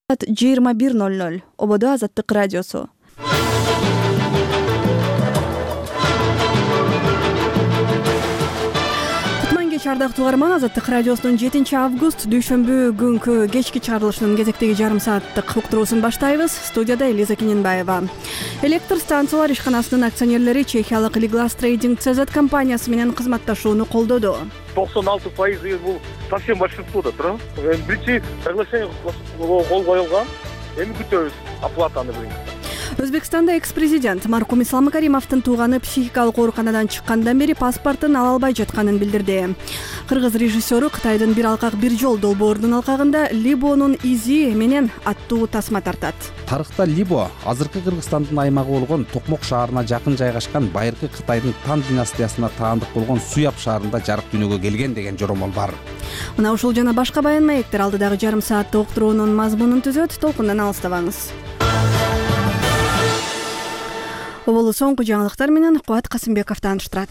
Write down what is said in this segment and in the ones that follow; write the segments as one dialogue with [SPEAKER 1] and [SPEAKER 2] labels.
[SPEAKER 1] 21:00 Ободо Азаттык радиосу. Ардактуу угарман, Азаттык радиосунун 7-август дүйшөмбү күнкү кечки чыгарылышынын кезектеги жарым сааттык уктуруусун баштайбыз. Студияда Элиза Кененбаева. Электр станциялар ишканасынын акционерлери чехиялык Liglas Trading CZ компаниясы менен кызматташууну колдоду.
[SPEAKER 2] 96% бул совсем большинствода тура. Биринчи соглашение кол коюлган. Эми күтөбүз оплатаны.
[SPEAKER 1] Өзбекстанда экс-президент Маркум Ислам Каримовдун тууганы психикалык ооруканадан чыккандан бери паспортун ала албай жатканын билдирди. Кыргыз режиссеру Кытайдын бир алкак бир жол долбоорунун алкагында Либонун изи менен аттуу тасма тартат.
[SPEAKER 3] Тарыхта Либо азыркы Кыргызстандын аймагы болгон Токмок шаарына жакын жайгашкан байыркы Кытайдын Тан династиясына таандык болгон Суяб шаарында жарык дүйнөгө келген деген жоромол бар.
[SPEAKER 1] Мына ушул жана башка баян маектер алдыдагы жарым саатта уктуруунун мазмунун түзөт. Толкундан алыстабаңыз. Оболу соңку жаңылыктар менен Кубат Касымбеков тааныштырат.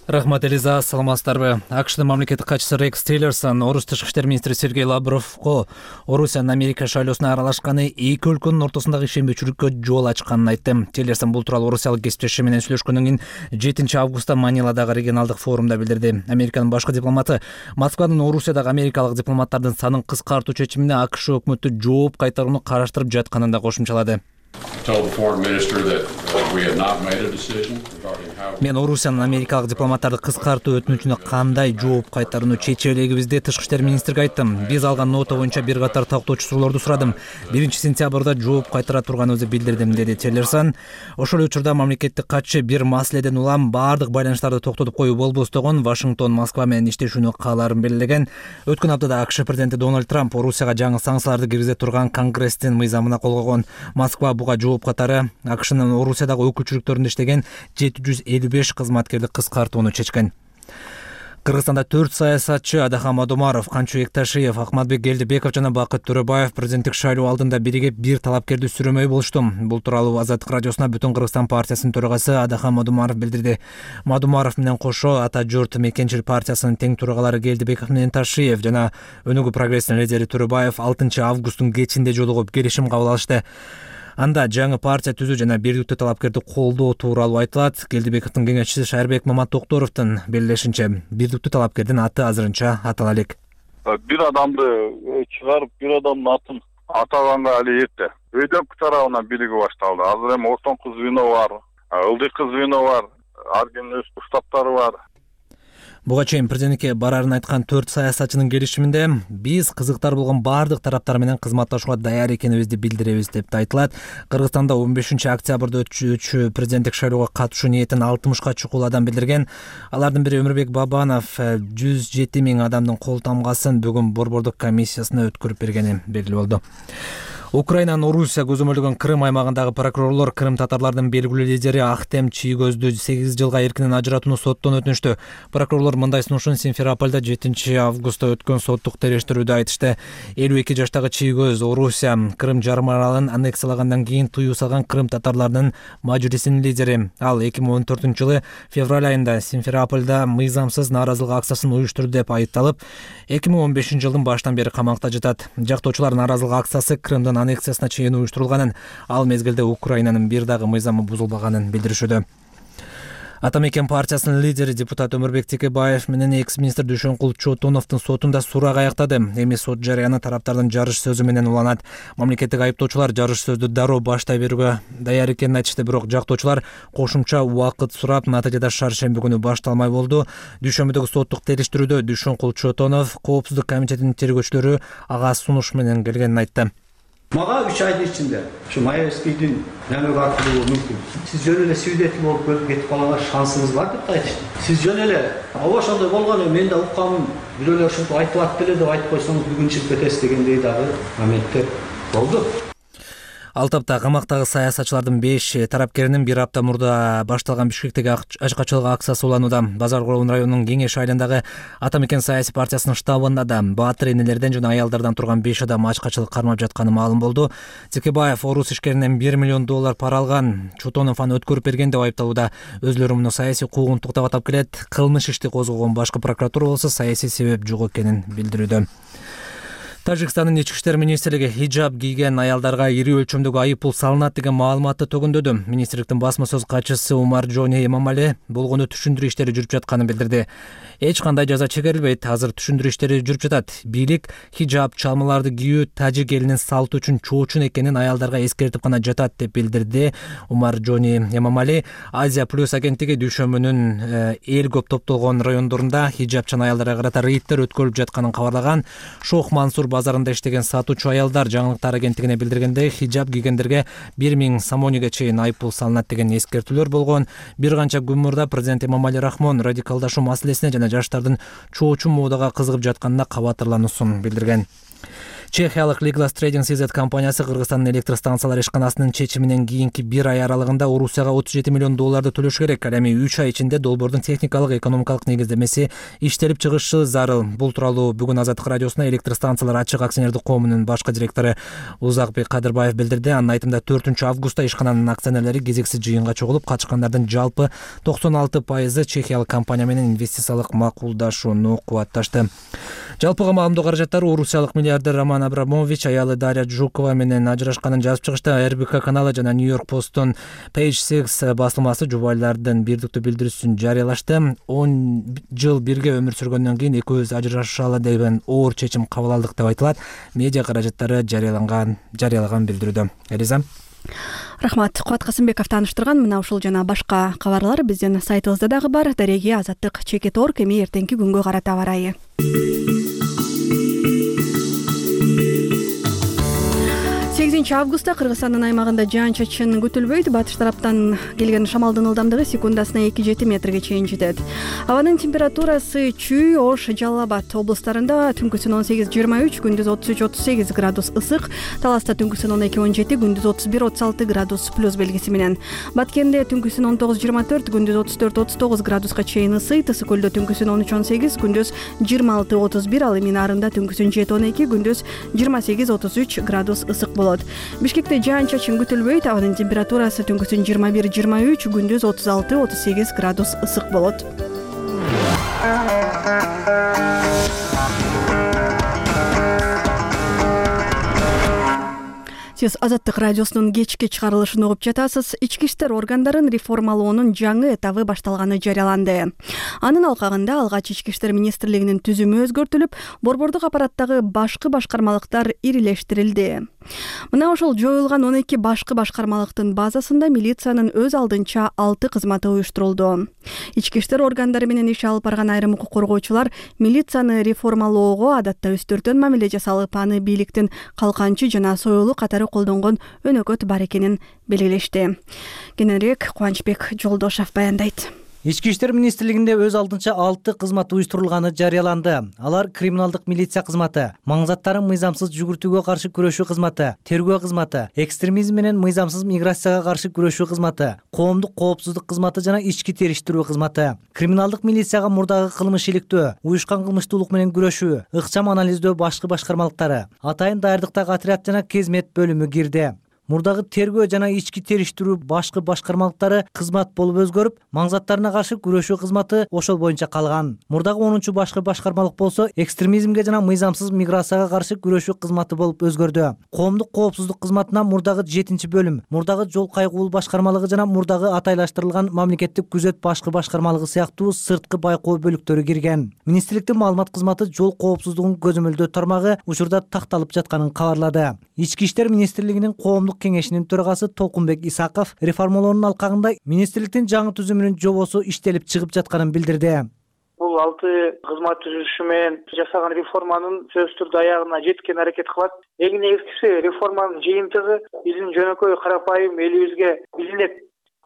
[SPEAKER 4] Рахмат, Элиза, саламатсыздарбы? АКШдын мамлекеттик катчысы Рекс Тиллерсон Орус тышкы иштер министри Сергей Лавровго Орусиянын Америка шайлоосуна аралашканы эки өлкөнүн ортосундагы ишенбөөчүлүккө жол ачканын айтты. Тиллерсон бул тууралуу орусиялык кесиптеши менен сүйлөшкөндөн кийин 7-августта Маниладагы регионалдык форумда билдирди. Американын башкы дипломаты Москванын Орусиядагы америкалык дипломаттардын санын кыскартуу чечимине АКШ өкмөтү жооп кайтарууну караштырып жатканын да кошумчалады. Мен Орусиянын америкалык дипломаттарды кыскартуу өтүнүчүнө кандай жооп кайтарууну чече элегибиз деп тышкы иштер министриге айттым. Биз алган нота боюнча бир катар тактоочу суроолорду сурадым. 1-сентябрда жооп кайтара турганыбызды билдирдим, деди Тиллерсон. Ошол учурда мамлекеттик катчы бир маселеден улам баардык байланыштарды токтотуп коюу болбостогон Вашингтон Москва менен иштешүүнү каалаарын белгилеген. Өткөн аптада АКШ президенти Дональд Трамп Орусияга жаңы санкцияларды киргизе турган Конгресстин мыйзамына кол койгон. Москва буга жооп катары АКШнын Орусиядагы өкүлчүлүктөрүндө иштеген 755 кызматкерди кыскартууну чечкен. Кыргызстанда 4 саясатчы Адахан Мадумаров, Канчу Экташиев, Акматбек Келдибеков жана Бакыт Төрөбаев президенттик шайлоо алдында биригип бир талапкерди сүрөмөй болушту. Бул тууралуу Азаттык радиосуна Бүтүн Кыргызстан партиясынын төрагасы Адахан Мадумаров билдирди. Мадумаров менен кошо Ата журт Мекенчил партиясынын тең төрагалары Келдибеков менен Ташиев жана Өнүгүү прогресстин лидери Төрөбаев 6-августтун кечинде жолугуп келишим кабыл алышты. Анда жаңы партия түзүү жана бирдиктүү талапкерди колдоо тууралуу айтылат. Келдибековдун кеңешчиси Шайырбек Маматокторовдун белгилешинче, бирдиктүү талапкердин аты азырынча атала элек.
[SPEAKER 2] Бир адамды чыгарып, бир адамдын атын атаганга али эрте. Өйдөкү тарабынан бийлиги башталды. Азыр эми ортоңку звено бар, ылдыйкы звено бар, ар кимдин өз штабтары бар.
[SPEAKER 4] Буга чейин президентке барарын айткан 4 саясатчынын келишиминде биз кызыктар болгон баардык тараптар менен кызматташууга даяр экенибизди билдиребиз деп айтылат. Кыргызстанда 15-октябрда өтчү президенттик шайлоого катышуу ниетин 60ка чукул адам билдирген. Алардын бири Өмүрбек Бабанов 107 000 адамдын кол тамгасын бүгүн борбордук комиссиясына өткөрүп бергени белгилүү болду. Украинанын Орусия көзөмөлдөгөн Крым аймагындагы прокурорлор Крым татарлардын белгилүү лидери Ахтем Чийгөздү 8 жылга эркинен ажыратууну соттон өтүнүштү. Прокурорлор мындай сунушун Симферопольдо 7-августта өткөн соттук териштирүүдө айтышты. 52 жаштагы Чийгөз Орусия Крым жарым аралын аннексиялагандан кийин тыюу салган Крым татарларынын мажлисинин лидери. Ал 2014-жылы февраль айында Симферопольдо мыйзамсыз нааразылык акциясын уюштурду деп айыпталып, 2015-жылдын баштан бери камакта жатат. Жактоочулар нааразылык акциясы Крымдын аннексиясына чейин уюштурулганын, ал мезгилде Украинанын бир дагы мыйзамы бузулбаганын билдиришүүдө. Атамекен партиясынын лидери депутат Өмүрбек Текебаев менен экс-министр Дүйшөнкул Чотоновдун сотунда сурак аяктады. Эми сот жарыяны тараптардын жарыш сөзү менен уланат. Мамлекеттик айыптоочулар жарыш сөздү дароо баштай берүүгө даяр экенин айтышты, бирок жактоочулар кошумча убакыт сурап, натыйжада шаршемби күнү башталмай болду. Дүйшөмбүдөгү соттук териштирүүдө Дүйшөнкул Чотонов Коопсуздук комитетинин тергөөчүлөрү ага сунуш менен келгенин айтты.
[SPEAKER 5] Мага 3 айдын ичинде ушу Маевскийдин намек аркылуу мүмкүн. Сиз жөн эле свидетель болуп кетип калганга шансыңыз бар деп айтышты. Сиз жөн эле ооба ошондой болгону мен да укканмын, бирөөлөр ушинтип айтып атты эле деп айтып койсоңуз бүгүн чыгып кетесиз дегендей дагы моменттер болду.
[SPEAKER 4] Ал тапта камактагы саясатчылардын 5 тарапкеринин бир апта мурда башталган Бишкектеги ачкачылык акциясы уланууда. Базар Коровун районунун Кеңеш айылындагы Атамекен саясий партиясынын штабында да баатыр энелерден жана аялдардан турган 5 адам ачкачылык кармап жатканы маалым болду. Текебаев орус ишкеринен $1 миллион пара алган. Чотонов аны өткөрүп берген деп айыпталууда. Өзлөрү муну саясий куугунтук деп атап келет. Кылмыш ишти козгогон башкы прокуратура болсо саясий себеп жок экенин билдирүүдө. Тажикстандын ички иштер министрлиги хиджаб кийген аялдарга ири өлчөмдөгү айыппул салынат деген маалыматты төгүндөдү. Министрликтин басма сөз катчысы Умар Джони Эмамали болгону түшүндүрүү иштери жүрүп жатканын билдирди. Эч кандай жаза чегерилбейт, азыр түшүндүрүү иштери жүрүп жатат. Бийлик хиджаб чалмаларды кийүү тажик элинин салты үчүн чоочун экенин аялдарга эскертип гана жатат деп билдирди Умар Джони Эмамали. Азия плюс агенттиги дүйшөмбүнүн эл көп топтолгон райондорунда хиджабчан аялдарга карата рейдтер өткөрүлүп жатканын кабарлаган. Шох Мансур базарында иштеген сатуучу аялдар жаңылыктар агенттигине билдиргендей, хиджаб кийгендерге 1000 сомониге чейин айыппул салынат деген эскертүүлөр болгон. Бир канча күн мурда президент Эмомали Рахмон радикалдашуу маселесине жана жаштардын чоочун моодага кызыгып жатканына кабатырлануусун билдирген. Чехиялык Liglas Trading CZ компаниясы Кыргызстандын электр станциялар ишканасынын чечиминен кийинки 1 ай аралыгында Орусияга $37 миллион төлөш керек. Ал эми 3 ай ичинде долбоордун техникалык экономикалык негиздемеси иштелип чыгышы зарыл. Бул тууралуу бүгүн Азаттык радиосуна электр станциялар ачык акционердик коомунун башкы директору Узакбек Кадырбаев билдирди. Анын айтымында 4-августта ишкананын акционерлери кезексиз жыйынга чогулуп, катышкандардын жалпы 96% чехиялык компания менен инвестициялык макулдашууну кубатташты. Жалпыга маалымдоо каражаттары Орусиялык миллиардер Роман Абрамович аялы Дарья Жукова менен ажырашканын жазып чыгышта. РБК каналы жана Нью-Йорк Посттун Page 6 басылмасы жубайлардын бирдиктүү билдирүүсүн жарыялашты. 10 жыл бирге өмүр сүргөндөн кийин экөөбүз ажырашалы деген оор чечим кабыл алдык деп айтылат. Медиа каражаттары жарыялаган билдирүүдө. Элиза.
[SPEAKER 1] Рахмат. Кубат Касымбеков тааныштырган. Мына ушул жана башка кабарлар биздин сайтыбызда дагы бар. Дареги Азаттык.org. Эми эртеңки күнгө карата аба ырайы. 8 августта Кыргызстандын аймагында жаан-чачын күтүлбөйт. Батыш тараптан келген шамалдын ылдамдыгы секундасына 2-7 метрге чейин жетет. Абанын температурасы Чүй, Ош, Жалал Абад облустарында түнкүсүн 18-23, күндүз 33-38 градус ысык, Таласта түнкүсүн 12-17, күндүз 31-36 градус плюс белгиси менен. Баткенде түнкүсүн 19-24, күндүз 34-39 градуска чейин ысыйт. Ысык көлдө түнкүсүн 13-18, күндүз 26-31, ал эми Нарында түнкүсүн 7-12, күндүз 28-33 градус ысык болот. Бишкекте жаан-чачын күтүлбөйт. Абанын температурасы түнкүсүн 21-23, күндүз 36-38 градус ысык болот. Сиз Азаттык радиосунун кечки чыгарылышын угуп жатасыз. Ички иштер органдарын реформалоонун жаңы этабы башталганы жарыяланды. Анын алкагында алгач Ички иштер министрлигинин түзүмү өзгөртүлүп, борбордук аппараттагы башкы башкармалыктар ирилештирилди. Мына ошол жоюлган 12 башкы башкармалыктын базасында милициянын өз алдынча 6 кызматы уюштурулду. Ички иштер органдары менен иш алып барган айрым укук коргоочулар милицияны реформалоого адатта үстөртөн мамиле жасалып, аны бийликтин калканчы жана союлу катары колдонгон өнөкөт бар экенин белгилешти. Кененирээк Кубанычбек Жолдошов баяндайт.
[SPEAKER 6] Ички иштер министрлигинде өз алдынча 6 кызмат уюштурулганы жарыяланды. Алар криминалдык милиция кызматы, маңзаттарын мыйзамсыз жүгүртүүгө каршы күрөшүү кызматы, тергөө кызматы, экстремизм менен мыйзамсыз миграцияга каршы күрөшүү кызматы, коомдук коопсуздук кызматы жана ички териштирүү кызматы. Криминалдык милицияга мурдагы кылмыш иликтөө, уюшкан кылмыштуулук менен күрөшүү, ыкчам анализдөө башкы башкармалыктары, атайын даярдыктагы отряд жана кезмет бөлүмү кирди. Мурдагы тергөө жана ички териштирүү башкы башкармалыктары кызмат болуп өзгөрүп, маңзаттарына каршы күрөшүү кызматы ошол боюнча калган. Мурдагы 10-чу башкы башкармалык болсо экстремизмге жана мыйзамсыз миграцияга каршы күрөшүү кызматы болуп өзгөрдү. Коомдук коопсуздук кызматына мурдагы 7-чи бөлүм, мурдагы жол кайгуул башкармалыгы жана мурдагы атайлаштырылган мамлекеттик күзөт башкы башкармалыгы сыяктуу сырткы байкоо бөлүктөрү кирген. Министрликтин маалымат кызматы жол коопсуздугун көзөмөлдөө тармагы учурда такталып жатканын кабарлады. Ички иштер министрлигинин коомдук кеңешинин төрагасы Толкунбек Исаков реформалоонун алкагында министрликтин жаңы түзүмүнүн жобосу иштелип чыгып жатканын билдирди.
[SPEAKER 7] Бул 6 кызмат түзүшү менен жасаган реформанын сөзсүз түрдө аягына жеткен аракет кылат. Эң негизгиси реформанын жыйынтыгы биздин жөнөкөй карапайым элибизге билинет.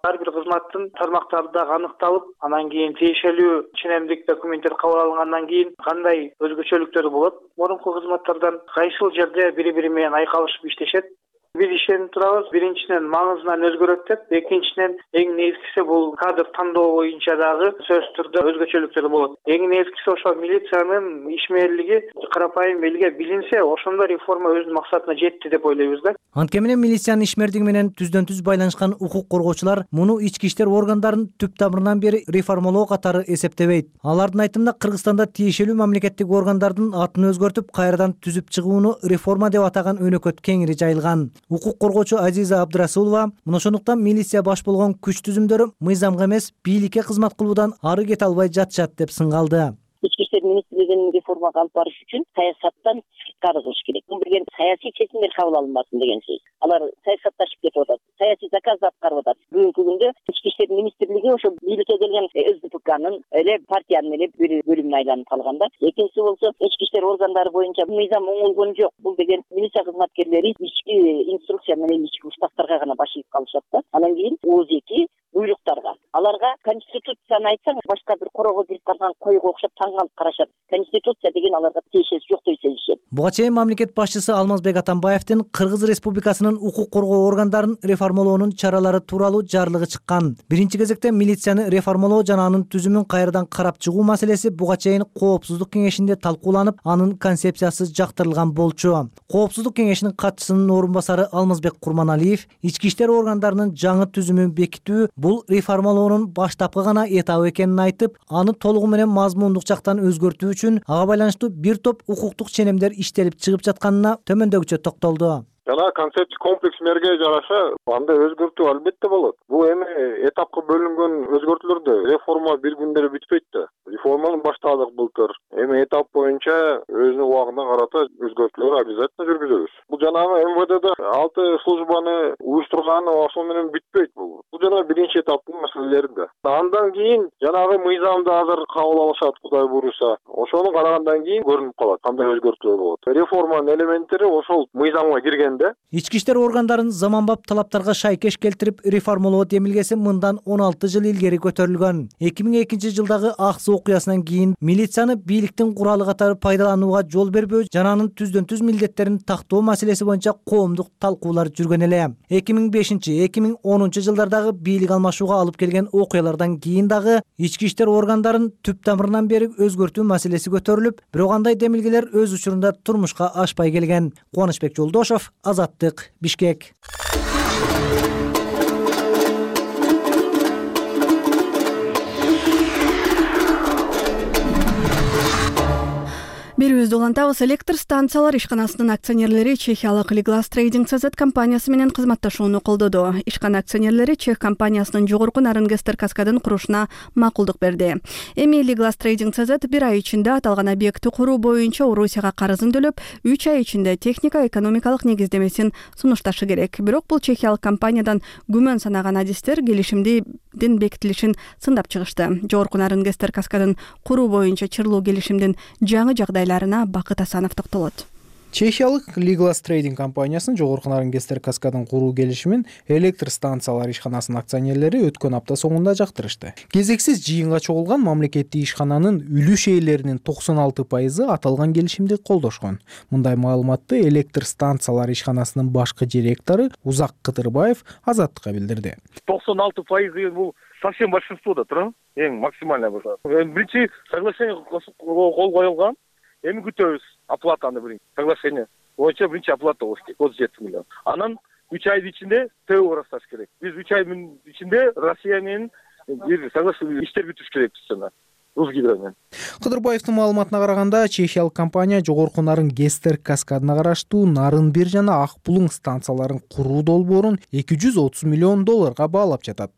[SPEAKER 7] Ар бир кызматтын тармактары дагы аныкталып, анан кийин тиешелүү ченемдик документтер кабыл алынгандан кийин кандай өзгөчөлүктөр болот. Мурунку кызматтардан кайсыл жерде бири-бири менен айкалышып иштешет. Биз ишенип турабыз. Биринчиден маңызынан өзгөрөт деп, экинчиден эң негизгиси бул кадр тандоо боюнча дагы сөзсүз түрдө өзгөчөлүктөр болот. Эң негизгиси ошо милициянын ишмерлиги карапайым элге билинсе, ошондо реформа өзүнүн максатына жетти деп ойлойбуз да.
[SPEAKER 6] Анткени менен милициянын ишмердиги менен түздөн-түз байланышкан укук коргоочулар муну ички иштер органдарын түп тамырынан бери реформалоо катары эсептебейт. Алардын айтымында Кыргызстанда тиешелүү мамлекеттик органдардын атын өзгөртүп, кайрадан түзүп чыгууну реформа деп атаган өнөкөт кеңири жайылган. Укук коргоочу Азиза Абдрасулова мына ошондуктан милиция баш болгон күч түзүмдөрү мыйзамга эмес, бийликке кызмат кылуудан ары кете албай жатышат деп сыңгалды.
[SPEAKER 8] Ички иштер министрлигинин реформага алып барыш үчүн саясаттан сырткары кылыш керек. Бул деген саясий чечимдер кабыл алынбасын деген сөз. Алар саясатташып кетип атат, саясий заказды аткарып атат. Бүгүнкү күндө ички иштер министрлиги ошо бийликке келген СДПКнын эле партиянын эле бир бөлүмүнө айланып калган да. Экинчиси болсо ички иштер органдары боюнча мыйзам оңолгон жок. Бул деген милиция кызматкерлери ички инструкция менен ички уставтарга гана баш ийип калышат да. Анан кийин ОЗЕКи буйруктарга. Аларга конституцияны айтсаң, башка бир корого кирип калган койго окшоп таң калып карашат. Конституция деген аларга тиешеси жок деп сезишет.
[SPEAKER 6] Буга чейин мамлекет башчысы Алмазбек Атамбаевдин Кыргыз Республикасынын укук коргоо органдарын реформалоонун чаралары тууралуу жарлыгы чыккан. Биринчи кезекте милицияны реформалоо жана анын түзүмүн кайрадан карап чыгуу маселеси буга чейин Коопсуздук кеңешинде талкууланып, анын концепциясы жактырылган болчу. Коопсуздук кеңешинин катчысынын орун басары Алмазбек Курманалиев ички иштер органдарынын жаңы түзүмүн бекитүү бул реформалоонун баштапкы гана этабы экенин айтып, аны толугу менен мазмундук жактан өзгөртүү үчүн ага байланыштуу бир топ укуктук ченемдер иштелип чыгып жатканына төмөндөгүчө токтолду.
[SPEAKER 2] Жана концепт комплексмерге жараша анда өзгөртүү албетте болот. Бул эми этапка бөлүнгөн өзгөртүүлөрдө реформа бир күндө бүтпөйт да. Реформаны баштадык былтыр. Эми этап боюнча өзүнүн убагына карата өзгөртүүлөр обязательно жүргүзөбүз. Бул жанагы МВДда 6 службаны уюштурган ошол менен бүтпөйт бул. Бул жана биринчи этаптын маселелери да. Андан кийин жанагы мыйзамды азыр кабыл алышат, Кудай буйруса. Ошону карагандан кийин көрүнүп калат кандай өзгөртүүлөр болот. Реформанын элементтери ошол мыйзамга кирген.
[SPEAKER 6] Ички иштер органдарын заманбап талаптарга шайкеш келтирип реформалоо демилгеси мындан 16 жыл илгери көтөрүлгөн. 2002 жылдагы Аксы окуясынан кийин милицияны бийликтин куралы катары пайдаланууга жол бербөө жана анын түздөн-түз милдеттерин тактоо маселеси боюнча коомдук талкуулар жүргөн эле. 2005-2010 жылдардагы бийлик алмашууга алып келген окуялардан кийин дагы ички иштер органдарын түп тамырынан бери өзгөртүү маселеси көтөрүлүп, бирок андай демилгелер өз учурунда турмушка ашпай келген. Кубанычбек Жолдошов, Азаттык, Бишкек.
[SPEAKER 1] Берүүбүздү улантабыз. Электр станциялар ишканасынын акционерлери чехиялык Liglas Trading CZ компаниясы менен кызматташууну колдоду. Ишкана акционерлери чех компаниясынын жогорку Нарынгестер каскадын курушуна макулдук берди. Эми Liglas Trading CZ бир ай ичинде аталган объектти куруу боюнча Орусияга карызын төлөп, 3 ай ичинде техника-экономикалык негиздемесин сунушташы керек. Бирок бул чехиялык компаниядан күмөн санаган адистер келишимдин бекитилишин сындап чыгышты. Жогорку Нарынгестер каскадын куруу боюнча чырлуу келишимдин жаңы жагдайларына Бакыт Асанов токтолот.
[SPEAKER 9] Чехиялык Liglas Trading компаниясынын жогорку Нарынгестер каскадын куруу келишимин электр станциялар ишканасынын акционерлери өткөн апта соңунда жактырышты. Кезексиз жыйынга чогулган мамлекеттик ишкананын үлүш ээлеринин 96% аталган келишимди колдошкон. Мындай маалыматты электр станциялар ишканасынын башкы директору Узак Кытырбаев Азаттыкка билдирди.
[SPEAKER 2] 96% бул совсем большинство да тура, эң максимальный болсо. Биринчи соглашение кол коюлган. Эми күтөбүз оплатаны биринчи. Соглашение боюнча биринчи оплата болуш керек, 37 миллион. Анан 3 айдын ичинде ТО ырасташ керек. Биз 3 айдын ичинде Россия менен бир соглашение иштер бүтүш керекпиз жана Русгидромен.
[SPEAKER 9] Кыдырбаевдин маалыматына караганда, чехиялык компания жогорку Нарынгестер каскадына караштуу Нарын 1 жана Ак Булуң станцияларын куруу долбоорун $230 миллион баалап жатат.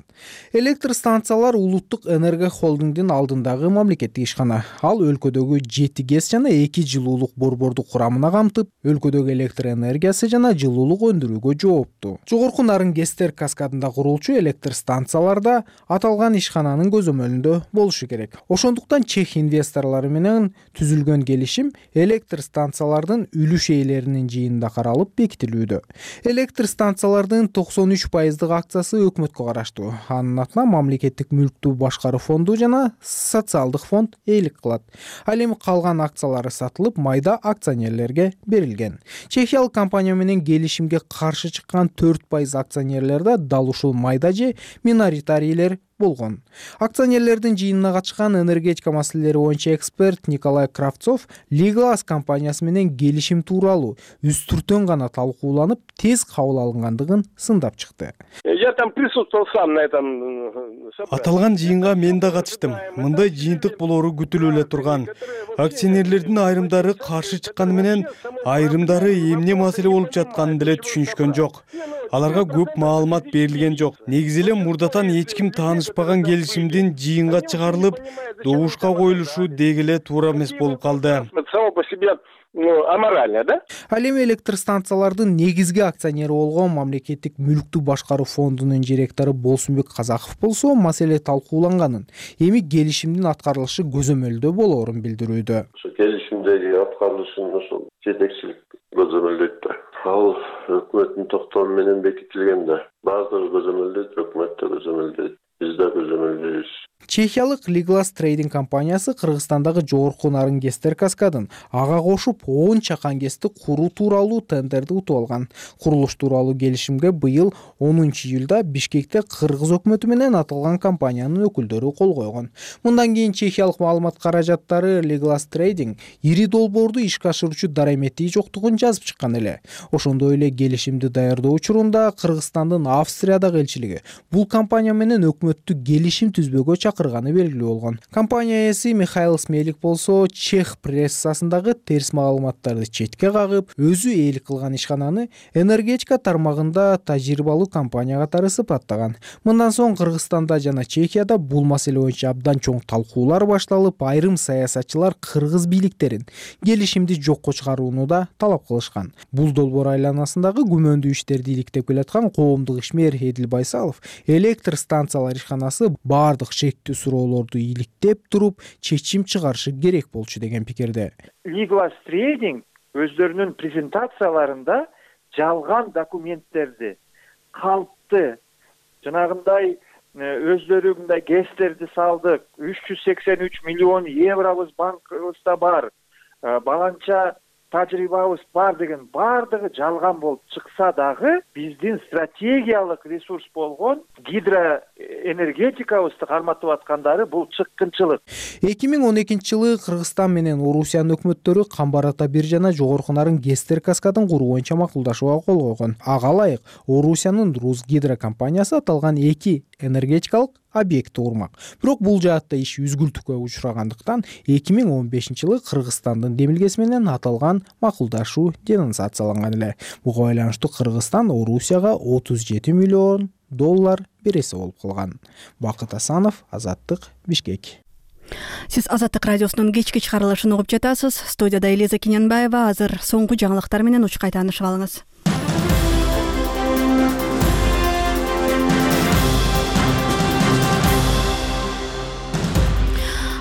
[SPEAKER 9] Электр станциялар Улуттук энерго холдингдин алдындагы мамлекеттик ишкана. Ал өлкөдөгү 7 ГЭС жана 2 жылуулук борборду курамына камтып, өлкөдөгү электр энергиясы жана жылуулук өндүрүүгө жооптуу. Жогорку Нарынгестер каскадында курулчу электр станцияларда аталган ишкананын көзөмөлүндө болушу керек. Ошондуктан чех инвесторлору менен түзүлгөн келишим электр станциялардын үлүш ээлеринин жыйынында каралып бекитилүүдө. Электр станциялардын 93% акциясы өкмөткө караштуу. Анын атына мамлекеттик мүлктү башкаруу фонду жана социалдык фонд ээлик кылат. Ал эми калган акциялары сатылып, майда акционерлерге берилген. Чехиялык компания менен келишимге каршы чыккан 4% акционерлерде дал ушул майда же миноритарийлер болгон. Акционерлердин жыйынына катышкан энергетика маселелери боюнча эксперт Николай Кравцов Лиглас компаниясы менен келишим тууралуу үстүртөн гана талкууланып, тез кабыл алынгандыгын сындап чыкты.
[SPEAKER 10] Я там присутствовал сам на этом. Аталган жыйынга мен да катыштым. Мындай жыйынтык болору күтүлүп эле турган. Акционерлердин айрымдары каршы чыкканы менен айрымдары эмне маселе болуп жатканын деле түшүнүшкөн жок. Аларга көп маалымат берилген жок. Негизи эле мурдатан эч ким таанышпаган келишимдин жыйынга чыгарылып, добушка коюлушу деги эле туура эмес болуп калды.
[SPEAKER 2] Само по себе аморально, да?
[SPEAKER 9] Ал эми электр станциялардын негизги акционери болгон мамлекеттик мүлктү башкаруу фондунун директору Болсунбек Казаков болсо маселе талкууланганын, эми келишимдин аткарылышы көзөмөлдө болоорун билдирүүдө.
[SPEAKER 11] Ошо келишимдеги аткарылышын ошол жетекчилик көзөмөлдөйт да. Ал өкмөттүн токтому менен бекитилген да. Баардыгы көзөмөлдөйт, өкмөт да көзөмөлдөйт, биз да көзөмөлдөйбүз.
[SPEAKER 9] Чехиялык Лиглас трейдинг компаниясы Кыргызстандагы жогорку нарын ГЭСтер каскадын ага кошуп 10 чакан ГЭСти куруу тууралуу тендерди утуп алган. Курулуш тууралуу келишимге быйыл 10-июлда Бишкекте Кыргыз өкмөтү менен аталган компаниянын өкүлдөрү кол койгон. Мындан кийин чехиялык маалымат каражаттары Лиглас трейдинг ири долбоорду ишке ашыруучу дарамети жоктугун жазып чыккан эле. Ошондой эле келишимди даярдоо учурунда Кыргызстандын Австриядагы элчилиги бул компания менен өкмөттү келишим түзбөгө чакырганы белгилүү болгон. Компания ээси Михаил Смелик болсо чех прессасындагы терс маалыматтарды четке кагып, өзү ээлик кылган ишкананы энергетика тармагында тажрыйбалуу компания катары сыпаттаган. Мындан соң Кыргызстанда жана Чехияда бул маселе боюнча абдан чоң талкуулар башталып, айрым саясатчылар кыргыз бийликтерин келишимди жокко чыгарууну да талап кылышкан. Бул долбоор айланасындагы күмөндүү иштерди иликтеп келаткан коомдук ишмер Эдил Байсалов электр станциялар ишканасы баардык шектүү суроолорду иликтеп туруп чечим чыгарышы керек болчу деген пикирде.
[SPEAKER 12] Лиглас трейдинг өздөрүнүн презентацияларында жалган документтерди, калпты, жанагындай өздөрүндай ГЭСтерди салдык, 383 миллион евробуз банкыбызда бар, баланча тажрыйбабыз бар деген баардыгы жалган болуп чыкса дагы биздин стратегиялык ресурс болгон гидроэнергетикабызды карматып аткандары бул чыккынчылык.
[SPEAKER 9] 2012-жылы Кыргызстан менен Орусиянын өкмөттөрү Камбар Ата биржана жогорку нарын ГЭСтер каскадын куруу боюнча макулдашууга кол койгон. Ага ылайык Орусиянын Русгидро компаниясы аталган 2 энергетикалык объектти курмак. Бирок бул жаатта иш үзгүлтүккө учурагандыктан 2015-жылы Кыргызстандын демилгеси менен аталган макулдашуу денонсацияланган эле. Буга байланыштуу Кыргызстан Орусияга $37 миллион береси болуп калган. Бакыт Асанов, Азаттык, Бишкек.
[SPEAKER 1] Сиз Азаттык радиосунун кечки чыгарылышын угуп жатасыз. Студияда Элиза Кененбаева. Азыр соңку жаңылыктар менен учкай таанышып алыңыз.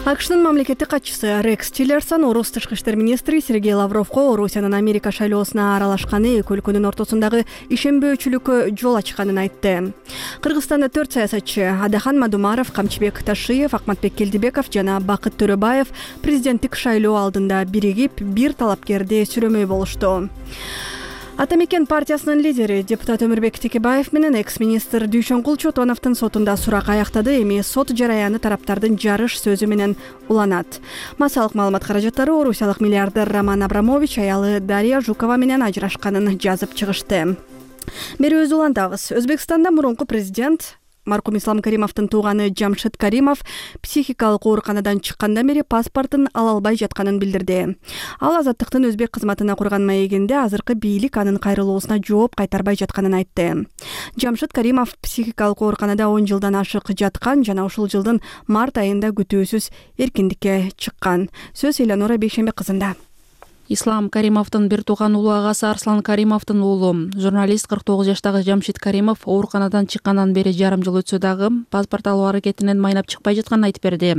[SPEAKER 1] АКШнын мамлекеттик катчысы Рекс Тиллерсон орус тышкы иштер министри Сергей Лавровго Орусиянын Америка шайлоосуна аралашканы эки өлкөнүн ортосундагы ишенбөөчүлүккө жол ачканын айтты. Кыргызстанда 4 саясатчы Адахан Мадумаров, Камчыбек Ташиев, Акматбек Келдибеков жана Бакыт Төрөбаев президенттик шайлоо алдында биригип бир талапкерди сүрөмөй болушту. Ата мекен партиясынын лидери депутат Өмүрбек Текебаев менен экс-министр Дүйшөнкул Чотоновдун сотунда сурак аяктады. Эми сот жараяны тараптардын жарыш сөзү менен уланат. Массалык маалымат каражаттары орусиялык миллиардер Роман Абрамович аялы Дарья Жукова менен ажырашканын жазып чыгышты. Берүүбүздү улантабыз. Өзбекстанда мурунку президент маркум Ислам Каримовдун тууганы Жамшит Каримов психикалык ооруканадан чыккандан бери паспортун ала албай жатканын билдирди. Ал Азаттыктын өзбек кызматына курган маегинде азыркы бийлик анын кайрылуусуна жооп кайтарбай жатканын айтты. Жамшит Каримов психикалык ооруканада 10 жылдан ашык жаткан жана ушул жылдын март айында күтүүсүз эркиндикке чыккан. Сөз Элеонора Бейшембек кызында.
[SPEAKER 13] Ислам Каримовдун бир тууган улуу агасы Арслан Каримовдун уулу журналист 49 жаштагы Жамшит Каримов ооруканадан чыккандан бери жарым жыл өтсө дагы паспорт алуу аракетинен майнап чыкпай жатканын айтып берди.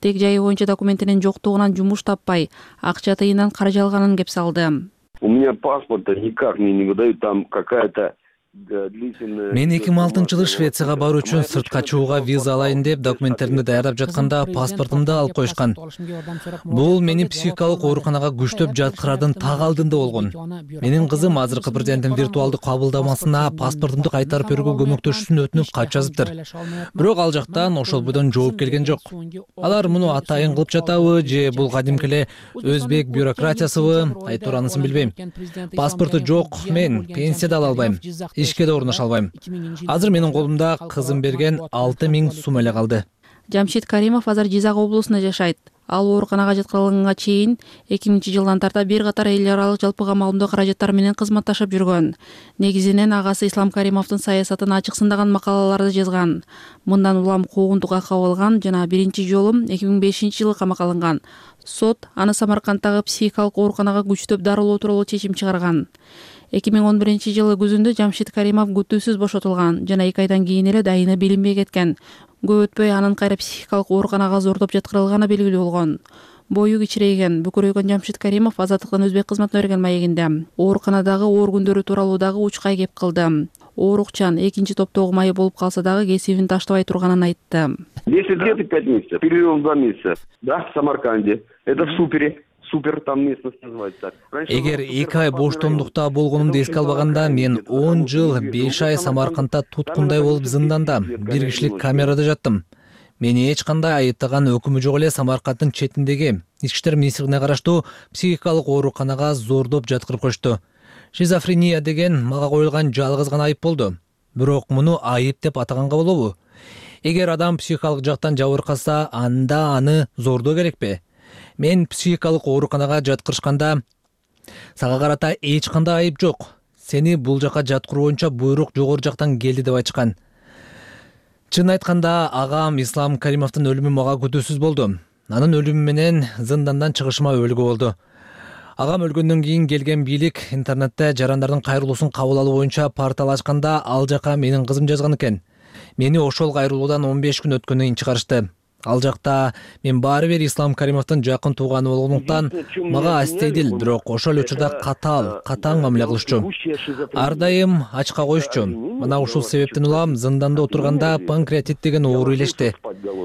[SPEAKER 13] Тег жайы боюнча документинин жоктугунан жумуш таппай, акча тыйындан каржы алганын кеп салды.
[SPEAKER 14] У меня паспорта никак мне не выдают, там какая-то
[SPEAKER 4] Мен 2006-жылы Швецияга баруу үчүн сыртка чыгууга виза алайын деп документтеримди даярдап жатканда паспортумду алып коюшкан. Бул мени психикалык ооруканага күчтөп жаткырардын так алдында болгон. Менин кызым азыркы президенттин виртуалдык кабылдамасына паспортумду кайтарып берүүгө көмөктөшүүсүн өтүнүп кат жазыптыр. Бирок ал жактан ошол бойдон жооп келген жок. Алар муну атайын кылып жатабы же бул кадимки эле өзбек бюрократиясыбы, айтор анысын билбейм. Паспорту жок, мен пенсия да ала албайм. Ишке да орноша албайм. Азыр менин колумда кызым берген 6000 сум эле калды.
[SPEAKER 13] Жамшит Каримов азыр Жизак облусунда жашайт. Ал ооруканага жаткырылганга чейин 2000-жылдан тарта бир катар эл аралык жалпы камалдуу каражаттар менен кызматташып жүргөн. Негизинен агасы Ислам Каримовдун саясатын ачык сындаган макалаларды жазган. Мындан улам куугунтукка кабылган жана биринчи жолу 2005-жылы камакка алынган. Сот аны Самаркандтагы психикалык ооруканага күчтөп дарылоо тууралуу чечим чыгарган. 2011-жылы күзүндө Жамшит Каримов күтүүсүз бошотулган жана 2 айдан кийин эле дайыны билинбей кеткен. Көп өтпөй анын кайра психикалык ооруканага зордоп жаткырылганы белгилүү болгон. Бою кичирейген, бүкүрөйгөн Жамшит Каримов Азаттыктын өзбек кызматына берген маегинде ооруканадагы оор күндөрү тууралуу дагы учкай кеп кылды. Оорукчан 2-топтогу майы болуп калса дагы кесибин таштабай турганын айтты.
[SPEAKER 14] 10 лет и 5 месяцев, перерыв 2 месяца. Да, в Самарканде. Это в Супер, там местность называется.
[SPEAKER 4] Эгер 2 ай боштондукта болгонумду эске албаганда, мен 10 жыл 5 ай Самаркандда туткундай болуп зынданда, бир кишилик камерада жаттым. Мени эч кандай айыптаган өкүмү жок эле Самарканддын четиндеги Ички иштер министрлигине караштуу психикалык ооруканага зордоп жаткырып коюшту. Шизофрения деген мага коюлган жалгыз гана айып болду. Бирок муну айып деп атаганга болобу? Эгер адам психикалык жактан жабыркаса, анда аны зордоо керекпи? Мен психикалык ооруканага жаткырышканда сага карата эч кандай айып жок. Сени бул жака жаткыруу боюнча буйрук жогору жактан келди деп айтышкан. Чын айтканда, агам Ислам Каримовдун өлүмү мага күтүүсүз болду. Анын өлүмү менен зындандан чыгышыма өлгү болду. Агам өлгөндөн кийин келген бийлик интернетте жарандардын кайрылуусун кабыл алуу боюнча портал ачканда ал жака менин кызым жазган экен. Мени ошол кайрылуудан 15 күн өткөндөн кийин чыгарышты. Ал жакта мен баары бир Ислам Каримовдун жакын тууганы болгондуктан мага астейдил, бирок ошол учурда катаң мамиле кылышчу. Ар дайым ачка коюшчу. Мына ушул себептен улам зынданда отурганда панкреатит деген оору илешти.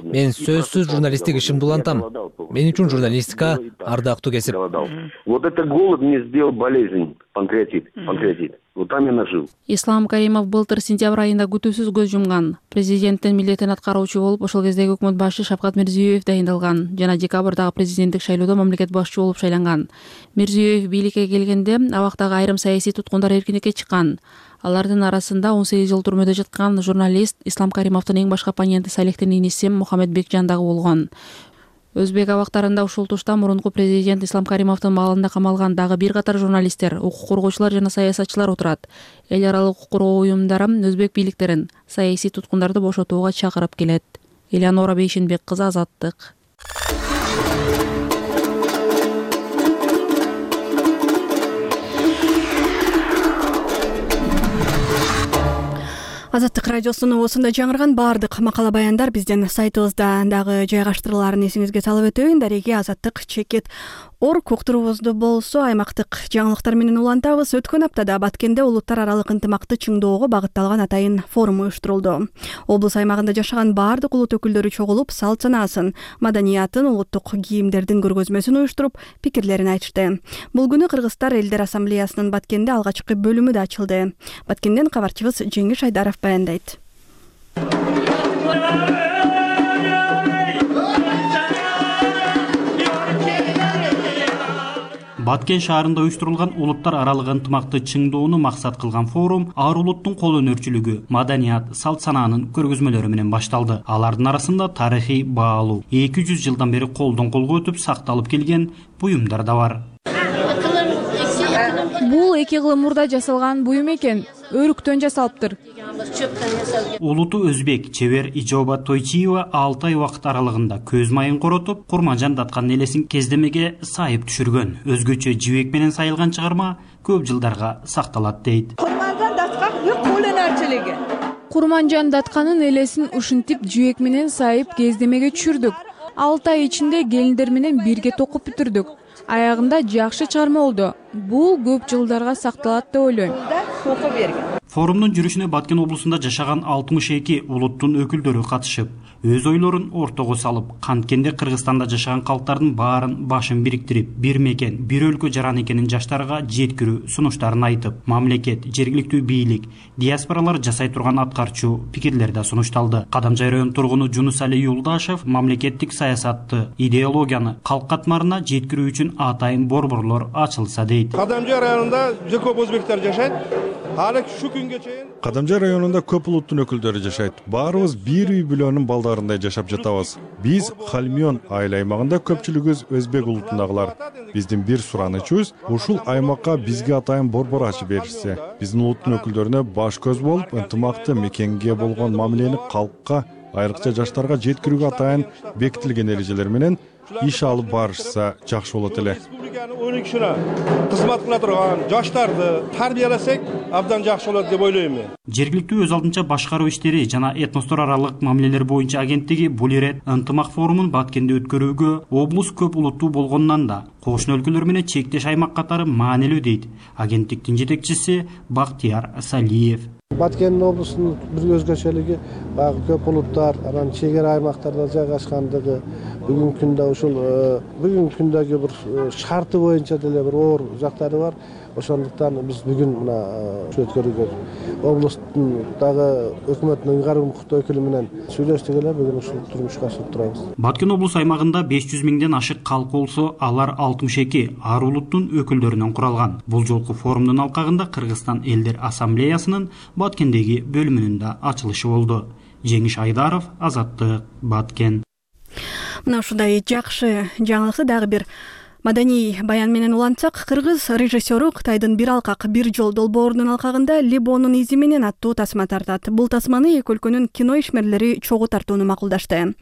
[SPEAKER 4] Мен сөзсүз журналисттик ишимди улантам. Мен үчүн журналистика ардактуу кесип.
[SPEAKER 14] Вот это голод мне сделал болезнь, панкреатит. Вот там я нажил.
[SPEAKER 13] Ислам Каримов былтыр сентябрь айында күтүүсүз көз жумган. Президенттин милдетин аткаруучу болуп, ошол кездеги өкмөт башчы Шавкат Мирзиёев дайындалган жана декабрдагы президенттик шайлоодо мамлекет башчы болуп шайланган. Мирзиёев бийликке келгенде абактагы айрым саясий туткундар эркиндикке чыккан. Алардын арасында 18 жыл түрмөдө жаткан журналист Ислам Каримовдун эң башкы оппоненти Салихтин иниси Мухаммед Бекжан дагы болгон. Өзбек абактарында ушул тушта мурунку президент Ислам Каримовдун маалында камалган дагы бир катар журналисттер, укук коргоочулар жана саясатчылар отурат. Эл аралык укук коргоо уюмдары өзбек бийликтерин саясий туткундарды бошотууга чакырып келет. Элеонора Бейшенбек кызы, Азаттык.
[SPEAKER 1] Азаттык радиосунун осунда жаңырган баардык макала баяндар биздин сайтыбызда дагы жайгаштырылаарын эсиңизге салып өтөйүн. Дареги Азаттык чекит уктуруубузду болсо аймактык жаңылыктар менен улантабыз. Өткөн аптада Баткенде улуттар аралык ынтымакты чыңдоого багытталган атайын форум уюштурулду. Облус аймагында жашаган баардык улут өкүлдөрү чогулуп, салт санаасын, маданиятын, улуттук кийимдердин көргөзмөсүн уюштуруп, пикирлерин айтышты. Бул күнү Кыргызстар элдер ассамблеясынын Баткенде алгачкы бөлүмү да ачылды. Баткенден кабарчыбыз Жеңиш Айдаров баяндайт.
[SPEAKER 15] Баткен шаарында уюштурулган улуттар аралык ынтымакты чыңдоону максат кылган форум ар улуттун кол өнөрчүлүгү, маданият, салт санаанын көргөзмөлөрү менен башталды. Алардын арасында тарыхый баалуу 200 жылдан бери колдон колго өтүп сакталып келген буюмдар да бар.
[SPEAKER 16] Бул 2 кыл мурда жасалган буюм экен, өрүктөн жасалыптыр.
[SPEAKER 15] Улуту өзбек чебер Ижоба Тойчиева 6 ай убакыт аралыгында көз майын коротуп, Курманжан Даткан элесин кездемеге сайып түшүргөн. Өзгөчө жибек менен сайылган чыгарма көп жылдарга сакталат дейт.
[SPEAKER 16] Курманжан Даткан колөнөрчүлүгү. Курманжан Датканын элесин ушинтип жибек менен сайып кездемеге түшүрдүк. 6 ай ичинде келиндер менен бирге токуп бүтүрдүк. Аягында жакшы чыгарма болду. Бул көп жылдарга сакталат деп ойлойм.
[SPEAKER 15] Форумдун жүрүшүнө Баткен облусунда жашаган 62 улуттун өкүлдөрү катышып, өз ойлорун ортого салып, канткенде Кыргызстанда жашаган калктардын баарын башын бириктирип, бир мекен, бир өлкө жаран экенин жаштарга жеткирүү сунуштарын айтып, мамлекет, жергиликтүү бийлик, диаспоралар жасай турган аткарчу пикирлер да сунушталды. Кадамжай район тургуну Жунусали Юлдашев мамлекеттик саясатты, идеологияны калк катмарына жеткирүү үчүн атайын борборлор ачылса дейт.
[SPEAKER 17] Кадамжай районунда жүз көп өзбектер жашайт.
[SPEAKER 18] Кадамжай районунда көп улуттун өкүлдөрү жашайт. Баарыбыз бир үй бүлөнүн балдарындай жашап жатабыз. Биз Халмион айыл аймагында көпчүлүгүбүз өзбек улутундагылар. Биздин бир суранычыбыз ушул аймакка бизге атайын борбор ачып беришсе. Биздин улуттун өкүлдөрүнө баш көз болуп, ынтымакты мекенге болгон мамилени калкка, айрыкча жаштарга жеткирүүгө атайын бекитилген эрежелер менен иш алып барышса жакшы болот эле.
[SPEAKER 17] Кызмат кыла турган жаштарды тарбияласак, абдан жакшы болот деп ойлойм мен.
[SPEAKER 15] Жергиликтүү өз алдынча башкаруу иштери жана этностор аралык мамилелер боюнча агенттиги бул ирет ынтымак форумун Баткенде өткөрүүгө облус көп улуттуу болгондон да кошуна өлкөлөр менен чектеш аймак катары маанилүү дейт агенттиктин жетекчиси Бактияр Салиев.
[SPEAKER 19] Баткен облусунун бир өзгөчөлүгү баягы көп улуттар, анан чегара аймактарда жайгашкандыгы, бүгүнкү күндө ушул бүгүнкү күндөгү бир шарты боюнча деле бир оор жактары бар. Ошондуктан биз бүгүн мына өткөрүүгө облустун дагы өкмөттүн ыйгарым укуктуу өкүлү менен сүйлөштүк эле, бүгүн ушул турмушка ашырып турабыз.
[SPEAKER 15] Баткен облус аймагында 500 миңден ашык калк болсо, алар 62 ар улуттун өкүлдөрүнөн куралган. Бул жолку форумдун алкагында Кыргызстан элдер ассамблеясынын Баткендеги бөлүмүнүн да ачылышы болду. Жеңиш Айдаров, Азаттык, Баткен.
[SPEAKER 1] Мына ушундай жакшы жаңылыкты дагы бир маданий баян менен улантсак, кыргыз режиссеру Кытайдын бир алкак бир жол долбоорунун алкагында Либонун изи менен аттуу тасма тартат. Бул тасманы эки өлкөнүн кино ишмерлери чогуу тартууну макулдашты.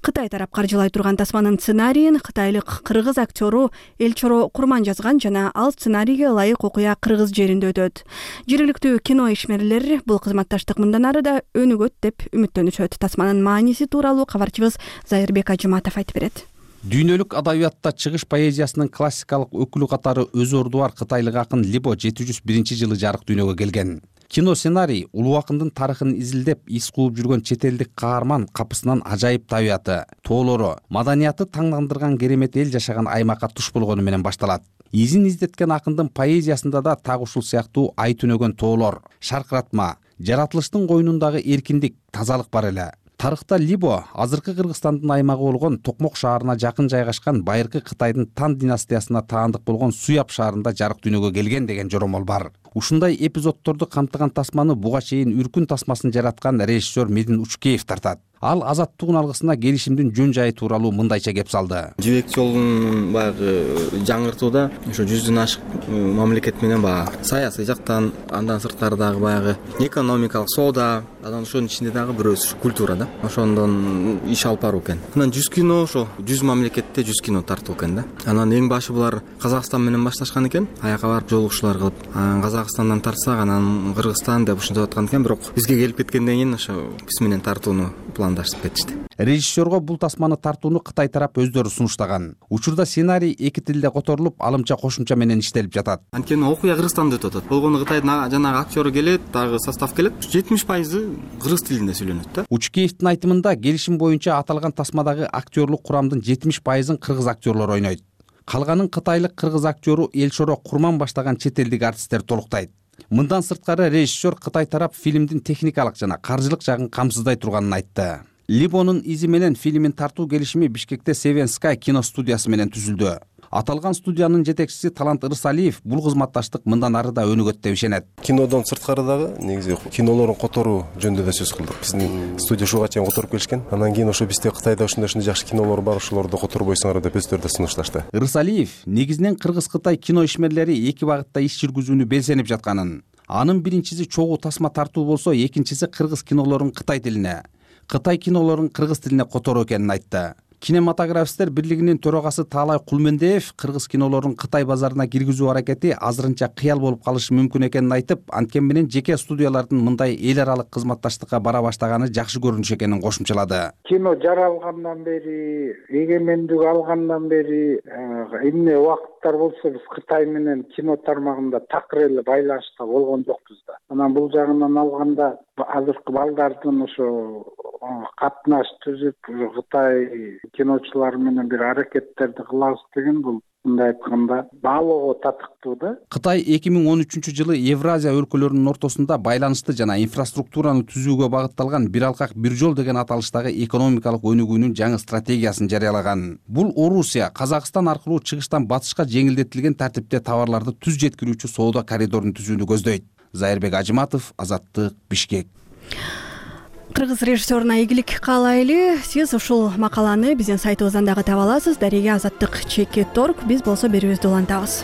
[SPEAKER 1] Кытай тарап каржылай турган тасманын сценарийин кытайлык кыргыз актеру Элчоро Курман жазган жана ал сценарийге ылайык окуя кыргыз жеринде өтөт. Жергиликтүү кино ишмерлери бул кызматташтык мындан ары да өнүгөт деп үмүттөнүшөт. Тасманын мааниси тууралуу кабарчыбыз Зайырбек Ажыматов айтып берет.
[SPEAKER 3] Дүйнөлүк адабиятта чыгыш поэзиясынын классикалык өкүлү катары өзү орду бар кытайлык акын Либо 701-жылы жарык дүйнөгө келген. Кино сценарий улуу акындын тарыхын изилдеп, из кууп жүргөн чет элдик каарман капысынан ажайып табияты, тоолору, маданияты таңдандырган керемет эл жашаган аймакка туш болгону менен башталат. Изин издеткен акындын поэзиясында да так ушул сыяктуу ай түнөгөн тоолор, шаркыратма, жаратылыштын койнундагы эркиндик, тазалык бар эле. Тарыхта Либо азыркы Кыргызстандын аймагы болгон Токмок шаарына жакын жайгашкан байыркы Кытайдын Тан династиясына таандык болгон Суяб шаарында жарык дүйнөгө келген деген жоромол бар. Ушундай эпизоддорду камтыган тасманы буга чейин Үркүн тасмасын жараткан режиссер Медин Учкеев тартат. Ал азаттыктын алгысына келишимдин жөн жайы тууралуу мындайча кеп салды.
[SPEAKER 20] Жибек жолун баягы жаңыртууда ошо 100дөн ашык мамлекет менен баягы саясий жактан, андан сырткары дагы баягы экономикалык соода, анан ошонун ичинде дагы бирөөсү культура да. Ошондон иш алып баруу экен. Анан 100 кино ошо 100 мамлекетте 100 кино тартуу экен да. Анан эң башы булар Казакстан менен башташкан экен. Аяка барып жолугушуулар кылып, Казакстандан тартсак, анан Кыргызстан деп ушинтип аткан экен, бирок бизге келип кеткенден кийин ошо биз менен тартууну пландашып кетишти.
[SPEAKER 3] Режиссерго бул тасманы тартууну Кытай тарап өздөрү сунуштаган. Учурда сценарий эки тилде которулуп, алымча кошумча менен иштелип жатат.
[SPEAKER 20] Анткени окуя Кыргызстанда өтүп атат. Болгону Кытайдын жанагы актёру келет, дагы состав келет. 70% кыргыз тилинде сүйлөнөт да.
[SPEAKER 3] Учкеевдин айтымында келишим боюнча аталган тасмадагы актерлук курамдын 70%-ын кыргыз актерлору ойнойт. Калганын кытайлык кыргыз актёру Элчоро Курман баштаган чет элдик артисттер толуктайт. Мындан сырткары режиссер Кытай тарап фильмдин техникалык жана каржылык жагын камсыздай турганын айтты. Либонун изи менен фильмин тартуу келишими Бишкекте Seven Sky кино студиясы менен түзүлдү. Аталган студиянын жетекчиси Талант Ырысалиев бул кызматташтык мындан ары да өнүгөт деп ишенет.
[SPEAKER 21] Кинодон сырткары дагы негизи кинолорун которуу жөнүндө да сөз кылдык. Биздин студия ушуга чейин которуп келишкен. Анан кийин ошо бизде Кытайда ушундай жакшы кинолор бар, ошолорду которбойсуңар деп өздөрү да сунушташты.
[SPEAKER 3] Ырысалиев негизинен Кыргыз-Кытай кино ишмерлери эки багытта иш жүргүзүүнү белсенип жатканын, анын биринчиси чогуу тасма тартуу болсо, экинчиси кыргыз кинолорун Кытай тилине, Кытай кинолорун кыргыз тилине которуу экенин айтты. Кинематографисттер бирлигинин төрагасы Таалай Кулмендеев кыргыз кинолорун Кытай базарына киргизүү аракети азырынча кыял болуп калышы мүмкүн экенин айтып, анткени менен жеке студиялардын мындай эл аралык кызматташтыкка бара баштаганы жакшы көрүнүш экенин кошумчалады.
[SPEAKER 22] Кино жаралгандан бери, эгемендик алгандан бери эмне убакыттар болсо биз Кытай менен кино тармагында такыр эле байланышта болгон жокпуз да. Анан бул жагынан алганда азыркы балдардын ошо катнаш түзүп Кытай киночулары менен бир аракеттерди кылабыз деген бул мындай айтканда баалоого татыктуу да.
[SPEAKER 3] Кытай 2013-жылы Евразия өлкөлөрүнүн ортосунда байланышты жана инфраструктураны түзүүгө багытталган бир алкак бир жол деген аталыштагы экономикалык өнүгүүнүн жаңы стратегиясын жарыялаган. Бул Орусия, Казакстан аркылуу чыгыштан батышка жеңилдетилген тартипте товарларды түз жеткирүүчү соода коридорун түзүүнү көздөйт. Зайырбек Ажыматов, Азаттык, Бишкек.
[SPEAKER 1] Кыргыз режиссеруна ийгилик каалайлы. Сиз ушул макаланы биздин сайтыбыздан дагы таба аласыз. Дареге Азаттык /Check.org. Биз болсо берүүбүздү улантабыз.